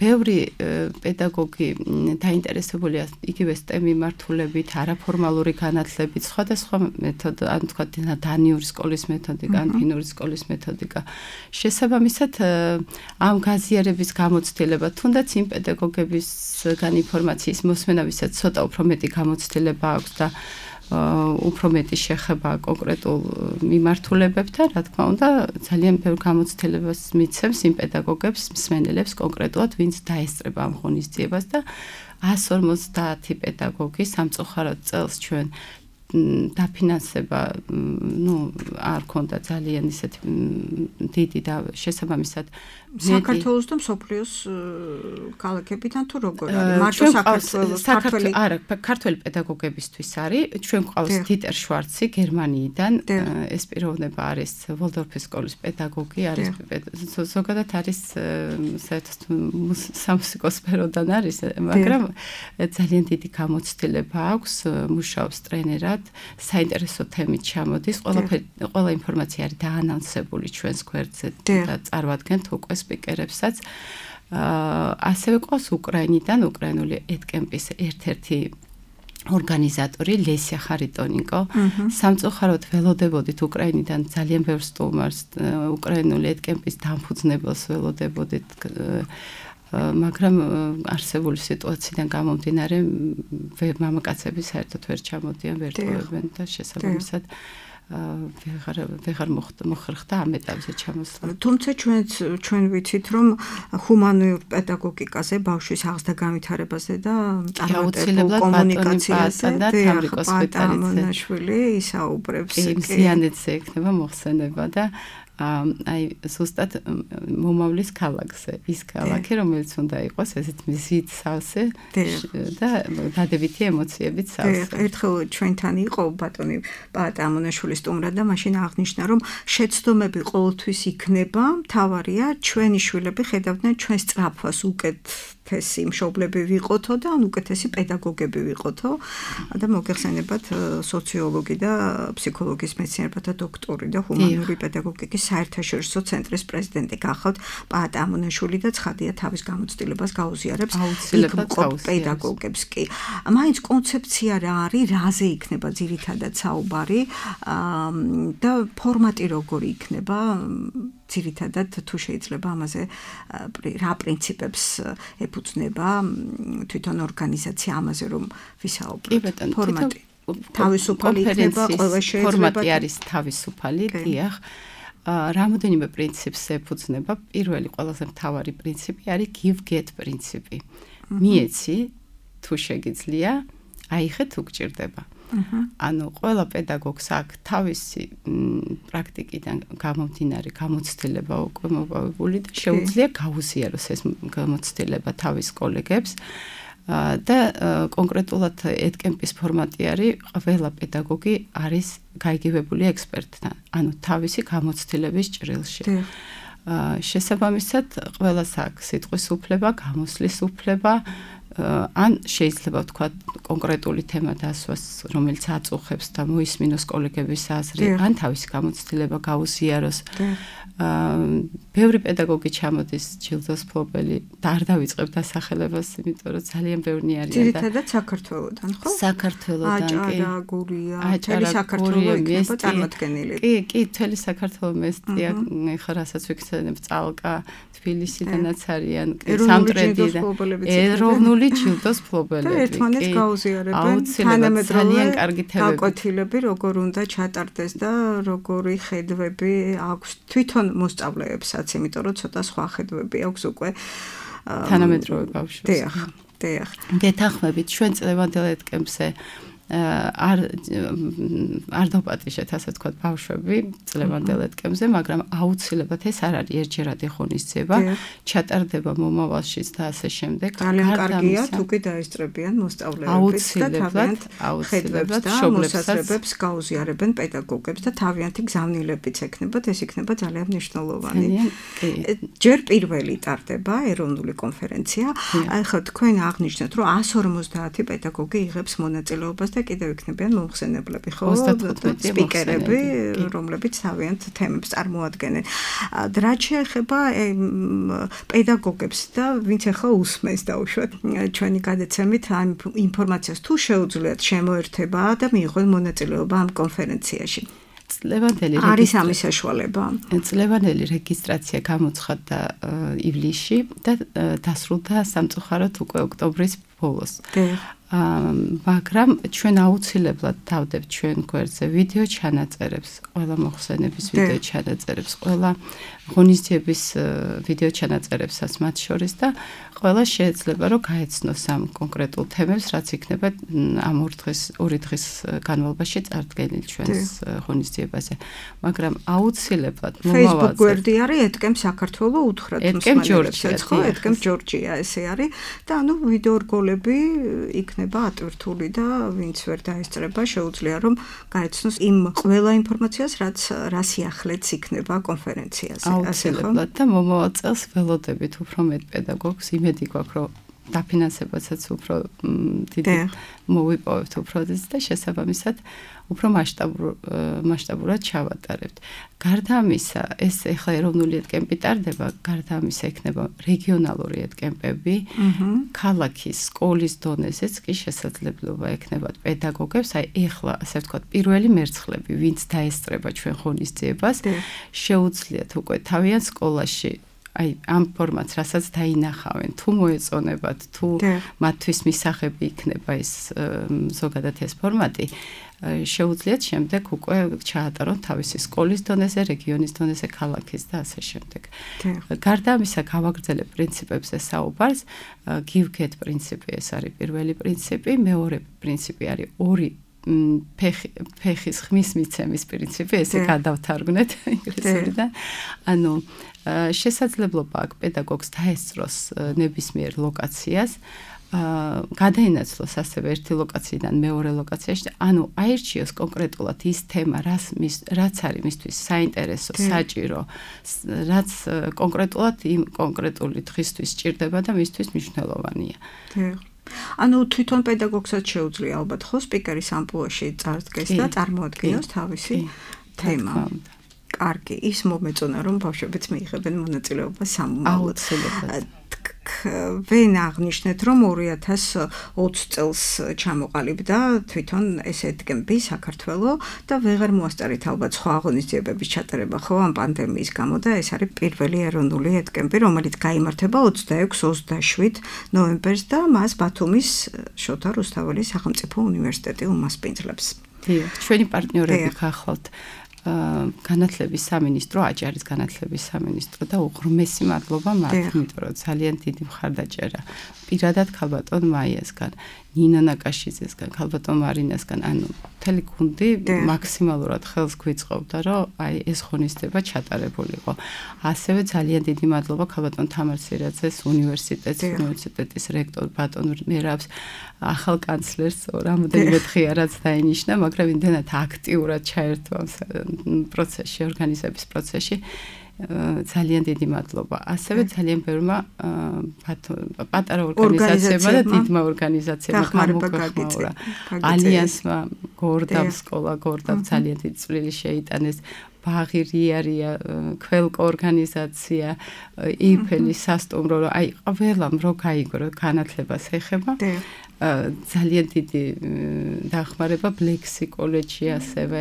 ბევრი პედაგოგი დაინტერესებულია იგივე STEM მიმართულებით, არაფორმალური განათლებით, სხვადასხვა მეთოდ, ანუ თქვა დანიური სკოლის მეთოდიკა, ან ფინური სკოლის მეთოდიკა. შესაბამისად, ამ გაზიარების გამოცდილება, თუნდაც იმ პედაგოგებისგან ინფორმაციის მოსმენა, ვისაც ცოტა უფრო მეტი გამოცდილება აქვს და უფრო მეტი შეხება კონკრეტულ მიმართულებებთან, რა თქმა უნდა, ძალიან ბევრ გამოცდილებას მიცემს იმ პედაგოგებს, მსმენელებს კონკრეტულად, ვინც დაესწრება ამ ღონისძიებას და 150 პედაგოგი სამწუხაროდ წელს ჩვენ დაფინანსება, არ ქონდა ძალიან ისეთი დიდი და შესაბამისად საქართველოს და მსოფლიოს ქალაქებიდან თუ როგორ არის? მარტო საქართველოს ქართველი პედაგოგებისთვის არის. ჩვენ გვყავს დიტერ შვარცი გერმანიიდან, ეს პიროვნება არის ვოლდორფის სკოლის პედაგოგი, არის ზოგადად არის საერთოდ სამუსიკო სფეროდან არის, მაგრამ ძალიან დიდი გამოცდილება აქვს, მუშაობს ტრენერად, საინტერესო თემით ჩამოდის, ყველა ინფორმაცია არის დაანონსებული ჩვენს გვერდზე და წარვადგენთ უკვე სპიკერებსაც. ასევე ყავს უკრაინიდან, უკრაინული ეთკემპის ერთ-ერთი ორგანიზატორი ლესია ხარიტონიკო. სამწუხაროდ ველოდებოდით უკრაინიდან ძალიან ბევრ სტუმარს, უკრაინული ეთკემპის დამფუძნებელს ველოდებოდით, მაგრამ არსებული სიტუაციიდან გამომდინარე მამაკაცები საერთოდ ვერ ჩამოდიან, ვერ ტოვებენ და შესაბამისად ვეღარ მოხერხდა ამ ეტაპზე ჩამოსვლა. თუმცა ჩვენ ვიცით, რომ ჰუმანურ პედაგოგიკაზე, ბავშვის აღზრდა განვითარებაზე და წარმატებულ კომუნიკაციაზე და თამრიკოს პატამონაშვილი ისაუბრებს. ზიანეთზე ექნება მოხსენება და აი ზუსტად მომავლის ქალაქზე, ის ქალაქი, რომელიც უნდა იყოს ესეთ მზით სავსე და დადებითი ემოციებით სავსე. ერთხელ ჩვენთან იყო ბატონი პაატა ამონაშვილი სტუმრად და მაშინ აღნიშნა, რომ შეცდომები ყოველთვის იქნება, მთავარია ჩვენი შვილები ხედავდნენ ჩვენ სწრაფვას უკეთესი მშობლები ვიყოთო და ან უკეთესი პედაგოგები ვიყოთო და მოგეხსენებათ სოციოლოგი და ფსიქოლოგიის მეცნიერებათა დოქტორი და ჰუმანური პედაგოგიკის საერთაშორისო ცენტრის პრეზიდენტი გახავთ პაატა ამონაშვილი და ცხადია თავის გამოცდილებას გაუზიარებს პედაგოგებს კი. მაინც კონცეფცია რა არის, რაზე იქნება ძირითადად საუბარი და ფორმატი როგორი იქნება ძირითადად თუ შეიძლება ამაზე რა პრინციპებს ეფუძნება თვითონ ორგანიზაცია ამაზე რომ ვისაუბროთ. ფორმატი თავისუფალი იქნება, ყველა შეიძლება ფორმატი არის თავისუფალი, დიახ. რამოდენიმე პრინციპს ეფუძნება. პირველი ყველაზე მთავარი პრინციპი არის give get პრინციპი. მიეცი თუ შეგიძლია, აიხე თუ გჭირდება. ანუ ყველა პედაგოგს აქვს თავისი პრაქტიკიდან გამომდინარე გამოცდილება უკვე მოპოვებული და შეუძლია გაუზიაროს ეს გამოცდილება თავის კოლეგებს და კონკრეტულად EdCamp-ის ფორმატი არის ყველა პედაგოგი არის გაიგივებული ექსპერტთან, ანუ თავისი გამოცდილების ჭრილში. შესაბამისად, ყველას აქვს სიტყვის უფლება, გამოსვლის უფლება, ან შეიძლება ვთქვა კონკრეტული თემა დასვას, რომელიც აწუხებს და მოისმინოს კოლეგების აზრი, ან თავისი გამოცდილება გაუზიაროს. ბევრი პედაგოგი ჩამოდის ჯილდოს მფლობელი და არ დავიწყებ დასახელებას, იმიტომ რომ ძალიან ბევრი არიან და ძირითადად საქართველოდან, ხო? საქართველოდან კი. აჭარა, გურია, მთელი საქართველო იქნება წარმოდგენილი. კი, მთელი საქართველო მესტია, ხა რასაც ვიქცევებ წალკა, თბილისიდანაც არიან, სამტრედი და ეროვნული ჯილდოს მფლობელები. და ერთმანეთს გაუზიარებენ, ძალიან კარგი თემები. გაკვეთილები როგორ უნდა ჩატარდეს და როგორი ხედვები აქვს თვითონ მოსწავლეებსაც, იმიტომ რომ ცოტა სხვა ხედვები აქვს უკვე თანამედროვე ბავშვებს. დიახ. გეთანხმებით ჩვენ წლევანდელ EdCamp-ზე არ დაპატიშეთ, ასე ვთქვათ, ბავშვები წლევანდელ EdCamp-ზე, მაგრამ აუცილებლად ეს არ არის ერთჯერადი ღონისძიება, ჩატარდება მომავალშიც და ასე შემდეგ. ძალიან კარგია თუ კი დაესწრებიან მოსწავლეებიც და თავიანთ ხედვებს და მოსაზრებებს გაუზიარებენ პედაგოგებს და თავიანთი გზავნილებიც ექნებათ, ეს იქნება ძალიან მნიშვნელოვანი. ჯერ პირველი ტარდება ეროვნული კონფერენცია. ახლა თქვენ აღნიშნეთ, რომ 150 პედაგოგი იღებს მონაწილეობას და კიდევ იქნებიან მომხსენებლები, ხო? სპიკერები, რომლებიც თავიანთ თემებს წარმოადგენენ. რაც შეეხება პედაგოგებს და ვინც ახლა უსმენს დაუშვათ ჩვენი გადაცემით ამ ინფორმაციას თუ შეუძლიათ შემოერთება და მიიღონ მონაწილეობა ამ კონფერენციაში. წლევანდელი არის ამის საშუალება. წლევანდელი რეგისტრაცია გამოცხადდა ივლისში და დასრულდა სამწუხაროდ უკვე ოქტომბრის ბოლოს. მაგრამ ჩვენ აუცილებლად დავდებთ ჩვენ გვერდზე ვიდეო ჩანაწერებს, ყველა მოხსენების ვიდეო ჩანაწერებს, ყველა ღონისძიების ვიდეო ჩანაწერებსაც მათ შორის და ყველა შეიძლება რომ გაეცნოს ამ კონკრეტულ თემებს, რაც იქნება ამ ორი დღის განმავლობაში წარდგენილი ჩვენს ღონისძიებაზე. მაგრამ აუცილებლად მომავალზე Facebook გვერდი არის EdCamp საქართველო უთხრათ მსმენელებსაც, ხო? EdCamp ჯორჯია ესე არის და ანუ ვიდეო რგოლები იქნება ატვირთული და ვინც ვერ დაესწრება შეუძლია რომ გაეცნოს იმ ყველა ინფორმაციას, რაც სიახლეც იქნება კონფერენციაზე. აუცილებლად და მომავალ წელს ველოდებით უფრო მეტ პედაგოგს, იმედი გვაქვს რომ დაფინანსებასაც უფრო დიდი მოვიპოვებთ უფრო და შესაბამისად უფრო მასშტაბურად ჩავატარებთ. გარდა ამისა, ეს ახლა ეროვნული EdCamp-ი ტარდება, გარდა ამისა იქნება რეგიონალური EdCamp-ები, ქალაქის, სკოლის დონეზეც კი შესაძლებლობა ექნებათ პედაგოგებს, აი ახლა ასე ვთქვათ, პირველი მერცხლები, ვინც დაესწრება ჩვენ ღონისძიებას, შეუძლიათ უკვე თავიანთ სკოლაში აი ამ ფორმატს რასაც დაინახავენ, თუ მოეწონებათ, თუ მათთვის მისაღები იქნება ეს ზოგადად ეს ფორმატი, შეუძლიათ შემდეგ უკვე ჩაატარონ თავისი სკოლის დონეზე, რეგიონის დონეზე, ქალაქის და ასე შემდეგ. გარდა ამისა, გავაგრძელებ პრინციპებზე საუბარს, give get პრინციპი ეს არის პირველი პრინციპი, მეორე პრინციპი არის ორი ფეხის ხმის მიცემის პრინციპი, ესე გადავთარგმნეთ ინგლისურიდან. ანუ შესაძლებლობა აქვს პედაგოგს დაესწროს ნებისმიერ ლოკაციას, გადაინაცვლოს ასევე ერთი ლოკაციიდან მეორე ლოკაციაში, ანუ აირჩიოს კონკრეტულად ის თემა, რაც არის მისთვის საინტერესო, საჭირო, რაც კონკრეტულად იმ კონკრეტული დღისთვის სჭირდება და მისთვის მნიშვნელოვანია. ანუ თვითონ პედაგოგსაც შეუძლია ალბათ ხო სპიკერის ამპლუაში წარდგეს და წარმოადგინოს თავისი თემა. კარგი, ის მომეწონა რომ ბავშვებიც მიიღებენ მონაწილეობას სამომავლოდ. ვენ აღნიშნეთ რომ 2020 წელს ჩამოყალიბდა თვითონ ეს ეთკემპი საქართველოს და ვეღარ მოასწარით ალბათ სხვა აღონიზიებების ჩატარება ხო ამ პანდემიის გამო და ეს არის პირველი ეროვნული ეთკემპი რომელიც გაიმართება 26-27 ნოემბერს და მას ბათუმის შოთა რუსთაველის სახელმწიფო უნივერსიტეტი უმასპინძლებს. ჩვენი პარტნიორები გახლავთ განათლების სამინისტრო, აჭარის განათლების სამინისტრო და უღრმესი მადლობა მათ, იმიტომ რომ ძალიან დიდი მხარდაჭერა პირადად ქალბატონ მაიასგან, ნინო ნაკაშიძესგან, ქალბატონ მარინასგან, ანუ მთელი გუნდი მაქსიმალურად ხელს გვიწყობდა, რომ აი ეს ღონისძიება ჩატარებულიყო. ასევე ძალიან დიდი მადლობა ქალბატონ თამარ სირაძეს უნივერსიტეტის რექტორ ბატონ მერაბს, ახალ კანცლერს, რამოდენიმე დღეა რაც დაინიშნა, მაგრამ იმდენად აქტიურად ჩაერთვა პროცესში, ორგანიზების პროცესში. ძალიან დიდი მადლობა. ასევე ძალიან ბევრმა პატარა ორგანიზაციებმა და დიდმა ორგანიზაციებმა გამოგხმაურა. ალიანსმა, გორდავ სკოლა, გორდავ ძალიან დიდი წვლილი შეიტანეს. ბაღი რიარია, ქველკო ორგანიზაცია, იფელის სასტუმრო, აი ყველამ რო გაიგრო განათლებას ეხება. ძალიან დიდი დახმარება ბლექსი კოლეჯში ასევე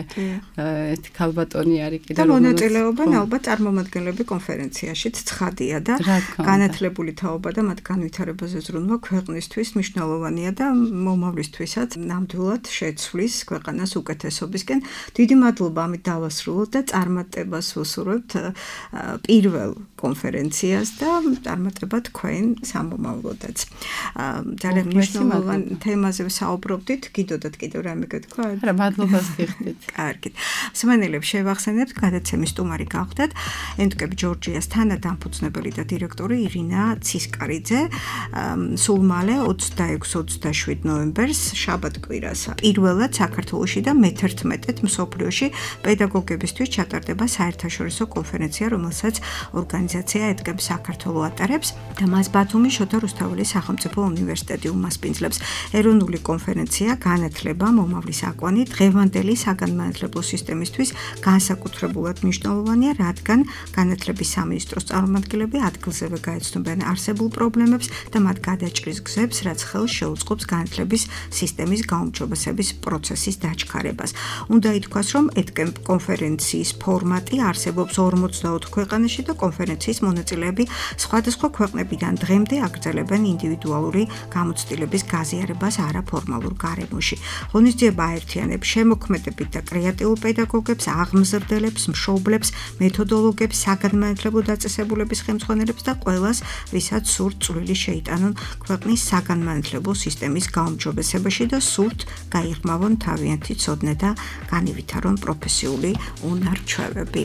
ერთი ქალბატონი არის კიდე და მონაწილეობენ ალბათ წარმომადგენლები კონფერენციაშიც ცხადია და განათლებული თაობა და მათ განვითარებაზე ზრუნვა ქვეყნისთვის მნიშვნელოვანია და მომავლისთვისაც ნამდვილად შეცვლის ქვეყანას უკეთესობისკენ. დიდი მადლობა ამით დავასრულოთ და წარმატებას ვუსურვებთ პირველ კონფერენციას და წარმატება თქვენ სამომავლოდაც. ძალიან მნიშვნელოვანია თემაზე ვსაუბრობდით, გიდოდათ კიდევ რამე გეთქვა? არა, მადლობას გიხდით. კარგით. მსმენელებს შევახსენებთ, გადაცემის სტუმარი გახდათ ენტკები ჯორჯიას თანადამფუძნებელი და დირექტორი ირინა ცისკარიძე. სულ მალე 26-27 ნოემბერს შაბათ-კვირას პირველად საქართველოში და მე-11-ად მსოფლიოში პედაგოგებისთვის ჩატარდება საერთაშორისო კონფერენცია, რომელსაც ორგანიზაცია ეტკებ საქართველოს ატარებს და მას ბათუმის შოთა რუსთაველის სახელმწიფო უნივერსიტეტი უმასპინძლებს. ეროვნული კონფერენცია განათლება მომავლის აკვანი დღევანდელი საგანმანათლებლო სისტემისთვის განსაკუთრებულად მნიშვნელოვანია, რადგან განათლების სამინისტროს წარმომადგენლები ადგილზევე გაეცნობიან არსებულ პრობლემებს და მათ გადაჭრის გზებს, რაც ხელს შეუწყობს განათლების სისტემის გაუმჯობესების პროცესის დაჩქარებას. უნდა ითქვას, რომ ეთკემპ კონფერენციის ფორმატი არსებობს 44 ქვეყანაში და კონფერენციის მონაწილეები სხვადასხვა ქვეყნებიდან დღემდე აგრძელებენ ინდივიდუალური გამოცდილების გაზიარებას არაფორმალურ გარემოში. ღონისძიება აერთიანებს შემოქმედებით და კრეატიულ პედაგოგებს, აღმზრდელებს, მშობლებს, მეთოდოლოგებს, საგანმანათლებლო დაწესებულების ხელმძღვანელებს და ყველას, ვისაც სურთ წვლილი შეიტანონ ქვეყნის საგანმანათლებლო სისტემის გაუმჯობესებაში და სურთ გაიღრმავონ თავიანთი ცოდნა და განივითარონ პროფესიული უნარ-ჩვევები.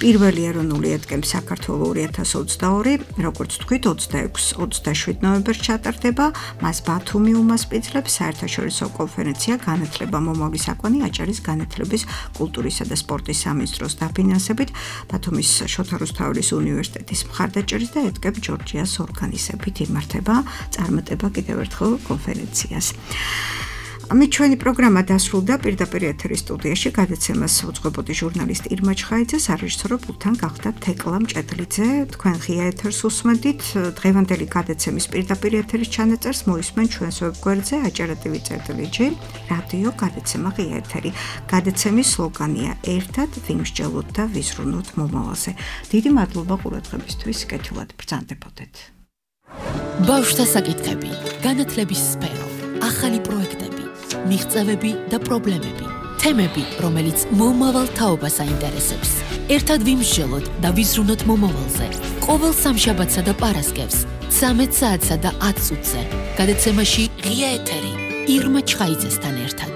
პირველი ეროვნული ეთკემპი საქართველოს 2022, როგორც თქვით, 26-27 ნოემბერს ჩატარდება. მას ბათუმი უმასპინძლებს საერთაშორისო კონფერენცია განათლება მომავლის აკვანი აჭარის განათლების, კულტურისა და სპორტის სამინისტროს დაფინანსებით, ბათუმის შოთა რუსთაველის უნივერსიტეტის მხარდაჭერით და ეთკებ ჯორჯიას ორგანიზებით იმართება წარმატება კიდევ ერთხელ კონფერენციას. ამით ჩვენი პროგრამა დასრულდა. პირდაპირ ეთერის სტუდიაში გადაცემას უძღვებოდი ჟურნალისტი ირმა ჩხაიძე, სარეჟისორო პულტთან გახდა თეკლა მჭედლიძე. თქვენ ღია ეთერს უსმენთ. დღევანდელი გადაცემის პირდაპირ ეთერის ჩანაწერს მოისმენ ჩვენს ვებგვერდზე acara.tv/g რადიო გადაცემა ღია ეთერი. გადაცემის სლოგანია ერთად ვიმსჯელოთ და ვიზრუნოთ მომავალზე. დიდი მადლობა ყურადღებისთვის. კეთილად ბრძანდებოდეთ. ბავშვთა საკითხები, განათლების სფერო, ახალი პროექტები, მიღწევები და პრობლემები, თემები, რომელიც მომავალ თაობას აინტერესებს. ერთად ვიმსჯელოთ და ვიზრუნოთ მომავალზე. ყოველ სამშაბათსა და პარასკევს 13 საათსა და 10 წუთზე. გადაცემაში ღია ეთერი ირმა ჩხაიძესთან ერთად.